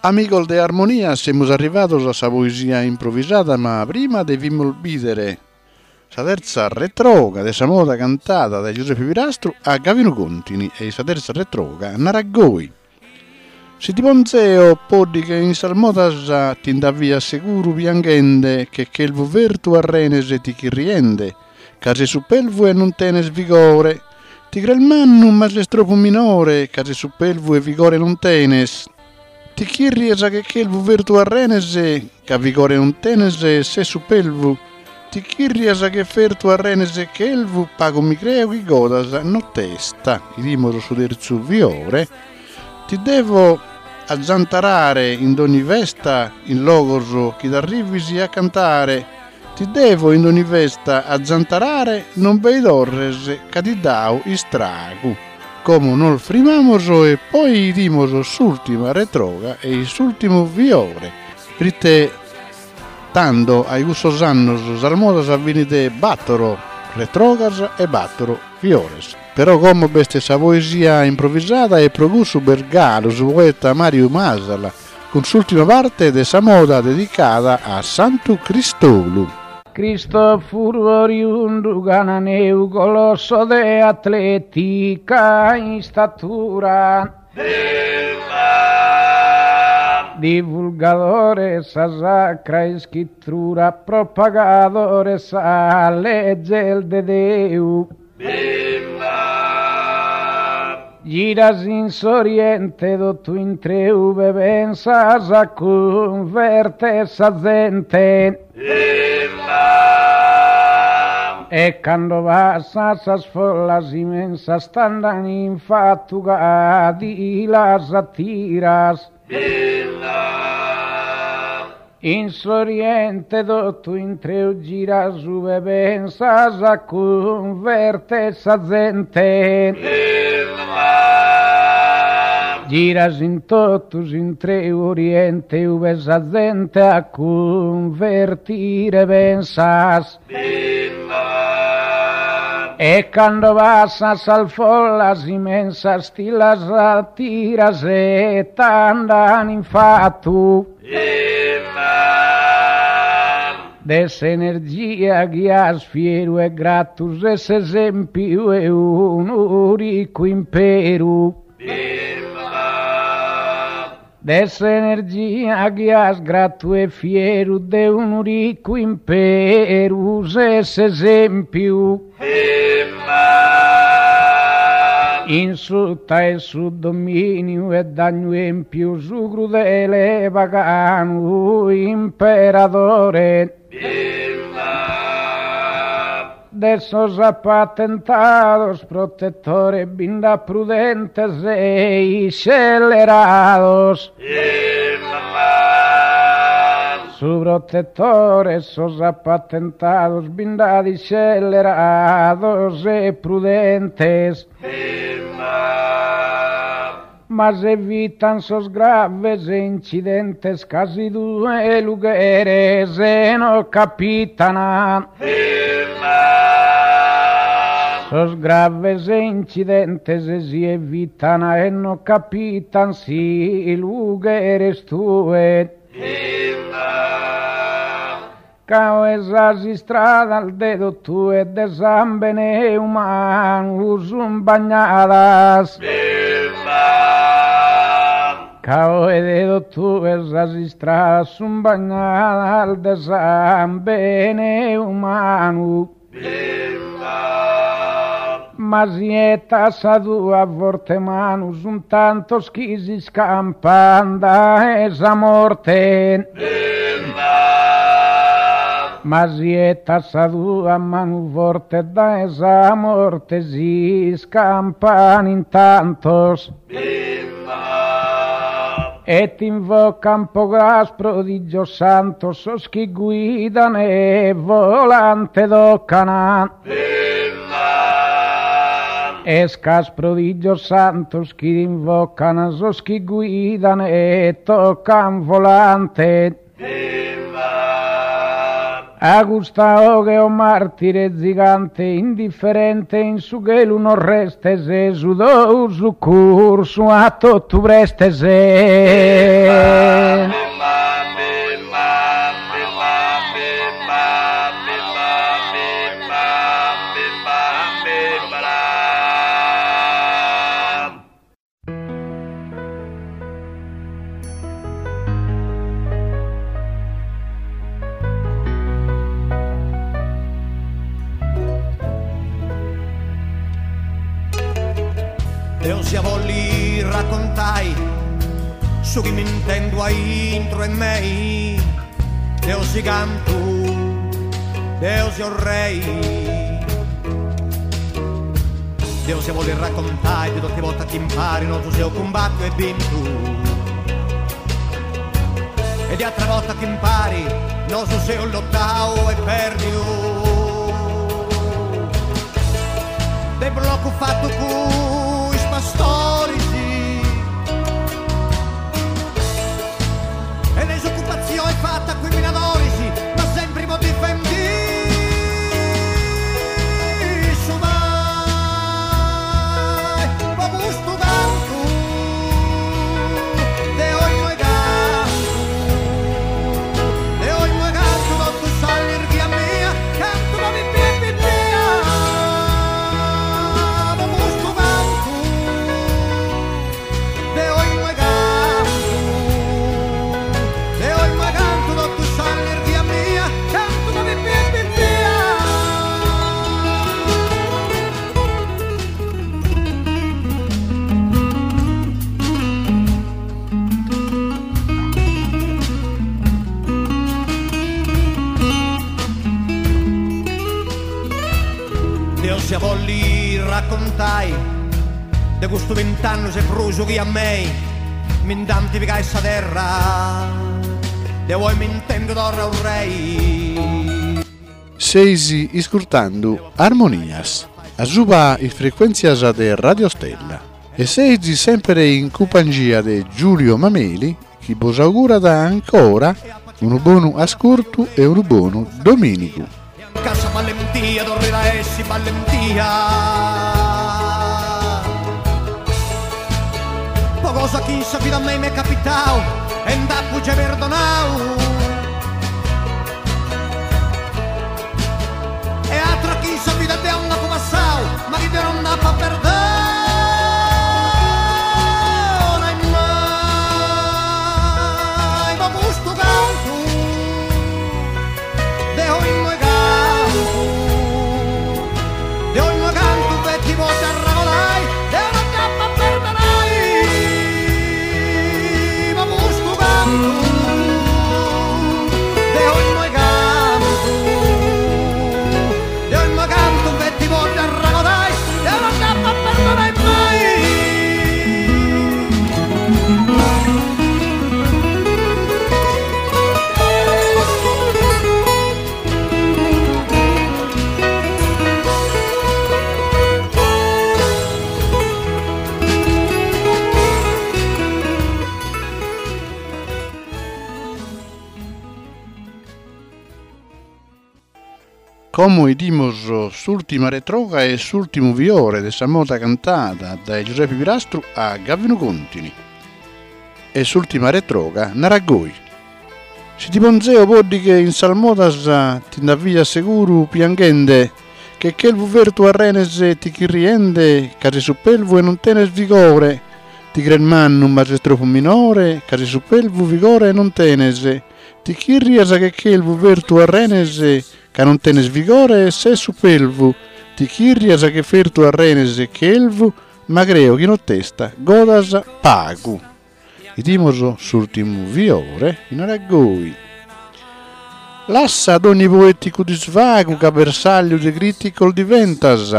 Amigos de Armonia, semus arrivados a sa poesia improvisada, ma prima devimus bìdere sa tertza retroga de sa moda cantada dae Giuseppe Pirastru a Gavinu Contini e sa tertza retroga narat goi. Si ti ponz'eo poddighe in sas modas ti nd'avvias seguru pianghende che chelvu fertu a renes ticchirriende ca ses supelvu e non tenes vigore ti cres mannu ma ses tropu minore ca ses supelvu e vigore non tenes Ticchirrias che chelvu fertu a renes ca vigore non tenes e ses supelvu Ticchirrias che fertu a renes chelvu pagu mi creo chi godas nottesta 'Idimus su terzu fiore Ti devo azzantarare in dogni festa in logos chi t'arrivis a cantare Ti devo in dogni festa azzantarare non bei torres ca ti dao istragu Como nos frimamos e poi 'idimos s'ultima retroga e s'ultimu fiore Prite tando ai cussos annos sas modas fin de battoro retrogas e battoro fiores. Però como b'est sa poesia improvisada e pro cussu b'est galu su poeta Mariu Masala cun s'ultima parte de sa moda dedicada a Santu Cristolu. Cristofuru oriundu cananeu colosso de atletica istatura. Divulgadore 'e sa sacra iscritura propagadore 'e sas leges de Deu. Giras in s'Oriente totu intreu ue pensas a cunverter sa zente. E cando passas sas follas immensas t'andan in fatu ca ti las atiras. In s'Oriente totu intreu giras ue pensas a cunverter sa zente. Giras in totu s'intreu Oriente ue sa zente a cunvertire pensas. E cando passas sas follas immensas ti las atiras e t'andan in fatu. De s'energia chi as fieru e gratu ses s'esempiu 'e unu ricu imperu. De s'energia chi as gratu e fieru de unu ricu imperu ses s'esempiu. In suta 'e su dominiu 'e Dannu Empiu su crudele paganu imperadore. De sos apatentados protetore bi nd'at prudentes e iscellerados. Su protetore 'e sos apatentados bi nd'at iscellerados e prudentes. Ma s'evitan sos graves incidentes ca si tue lu cheres no capitan. Sos graves incidentes si evitan e no capitan si lu cheres tue. Ca oe sas istradas de totue de sambene umanu sun bagnadas. Ca oe de totue sas istradas sun bagnadas de sambene umanu. Ma si 'etas sa tua forte manu sun tantos chi s'iscampan dae sa morte. Ma si 'etas sa tua manu forte dae sa morte s'iscampan in tantos. E t'invocan po cras prodigios santos sos chi guidan e volante tocan. Est ch'as prodigios santos chi t'invocan sos chi guidan e tocan volante. A custa 'oghe o martire zigante indifferente in su chelu no restes su tou succursu a totu prestes. Deus ia bolli raccontai su chi m'intendu aintru 'e mei, deu si cantu, deu seu rei. Deu sia bolli raccontai de totu is bortas chi impari nosu seus cumbattiu e bintu e de atras bortas chi impari nosu seus lottau e perdiu. De bloccu fattu cun is pastoris e de s'occupatzioni fatta cun is minadoris ma sempri po difendi su mai po custu cantu deu immoi cantu deu immoi cantu totu s'allirghia mia cantu po pipia e pipia po custu cantu Deo immoi cantu, deo immoi cantu totu s'allirghia mia, cantu po pipia e pipia. Deu sia bolli raccontai De custu bint'annus e prus chi a mei mi nd'ant pigai sa terra, deu oi m'intendu torra u rei. Seis iscurtando Armonias, asuba is frecuèntzias de Radio Stella e seis semper in cumpangia de Giulio Mameli chi bos augurat ancora unu bonu ascurtu e unu bonu domìnigu. Ca sa ballentia torrit a essi ballentia Po cosa chi in sa vida a mei m'est capitau e nd'apu giai perdonau E atra chi in sa vida deu nd'apu passau ma chi deu non nd'apu a perdonai mai Po custu cantu Deu immoi cantu, deu immoi cantu feti po dd'arragodai, deu no dd'apu a perdonai po custu cantu. Deu immoi cantu, deu immoi cantu feti po dd'arragodai, deu no dd'apu a perdonai mai. Como 'idimus s'ùrtima retroga e s'ùrtimu fiore de sa moda cantada dae Giuseppe Pirastru a Gavinu Contini. E s'ùrtima retroga narat goi. Si ti ponzeo poddighe in sas modas ti nd'avvias seguru pianghende che chelvu fertu a renes ticchirriende ca ses supelvu e non tenes vigore ti cres mannu ma ses tropu minore ca ses supelvu vigore non tenes ticchirrias che chelvu fertu a renes ca non tenes vigore e ses supelvu ticchirrias che fertu a renes chelvu ma creo chi nottesta godas pagu. 'Idimus s'ùrtimu fiore chi narat goi. Lassa dogni poèticu disvagu ca bersagliu de crìticos diventas,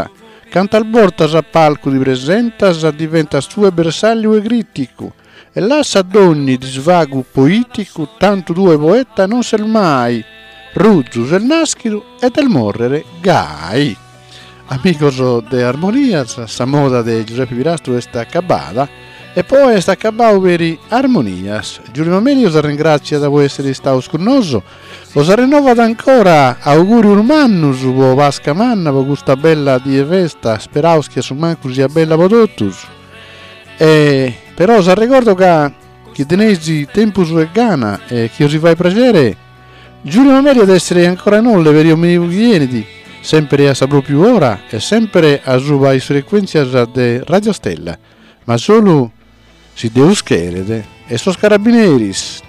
cantas bortas a palcu ti presentas diventas tue bersagliu 'e crìticu, e lassa dogni disvagu poìticu tantu tue poeta non ses mai, ruzu ses nàschidu e des mòrrere gai. Amigos de Armonias, sa moda de Giuseppe Pirastru est acabada e poi est acabadu peri Armonias. Giulio Mameli os arrengràtziat po èssere istados cun nosu, os arrennovat ancora augùrios mannus po Pasca Manna, po custa bella die 'e festa, speraus chi a su mancu siat bella po totus. E però s'arregordo ca chi teneis tempus e gana e chi os fait praxere, Giulio Mameli at essere ancora inoghe peri dominigu chi 'enit, sempere a sa propriu ora e sempere asuba is frecuentzias de Radio Stella, ma solu si Deus cheret e sos carabineris.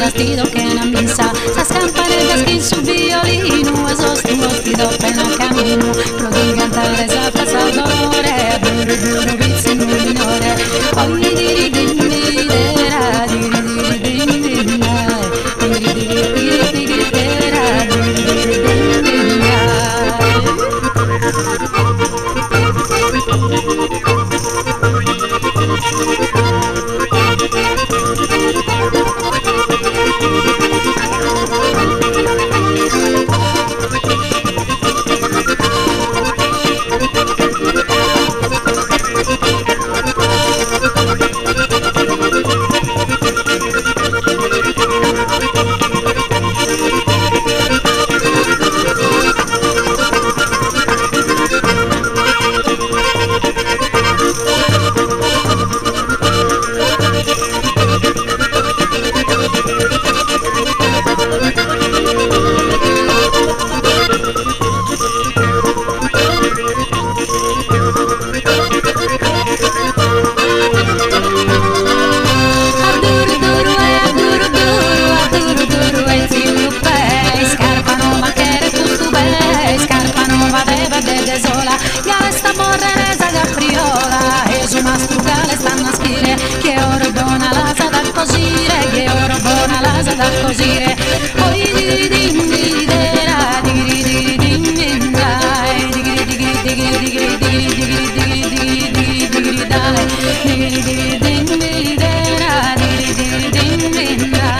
sas t'ido chena missa Sas campaneddas chin su violinu A sos tuos ti do pena caminu Pro ti cantare sa frassa dolore A duru duru pitzinnu minore Oi diri din diri dera diri diri din din dai Diri diri diri diri dera diri diri din din dai. A duru duru e a duru duru, a duru duru e tziu pè, iscarpa nova cheret custu pè, iscarpa nova de pedde de sola, gal est a morrere sa capriola, e su mastru gal est a naschire, chie oro bona l'as a cosire, chie oro bona l'as a cosire, oi diri din diri dera, digiri diri din din dai, digiri digiri digiri digiri digiri digiri digiri digiri digiri digiri dai, digiri digiri din diri dera, digiri digiri din din dai.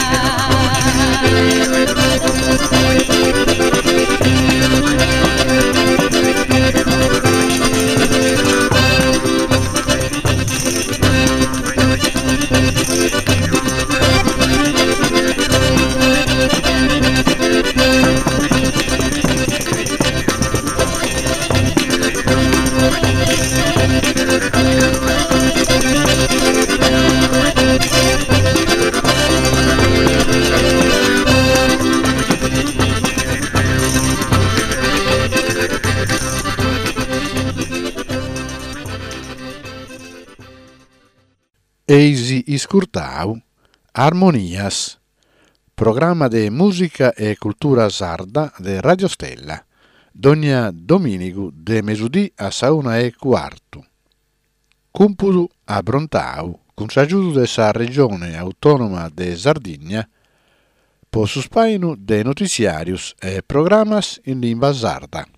Eis iscurtau Armonias, programma de mùsica e cultura sarda de Radio Stella, dònnia domìnigu de mesudì a sa una e cuartu. Cumpudu aprontau cun s'agiudu de sa Regione Autònoma de Sardigna po su spàinu de notiziàrios e programas in limba sarda.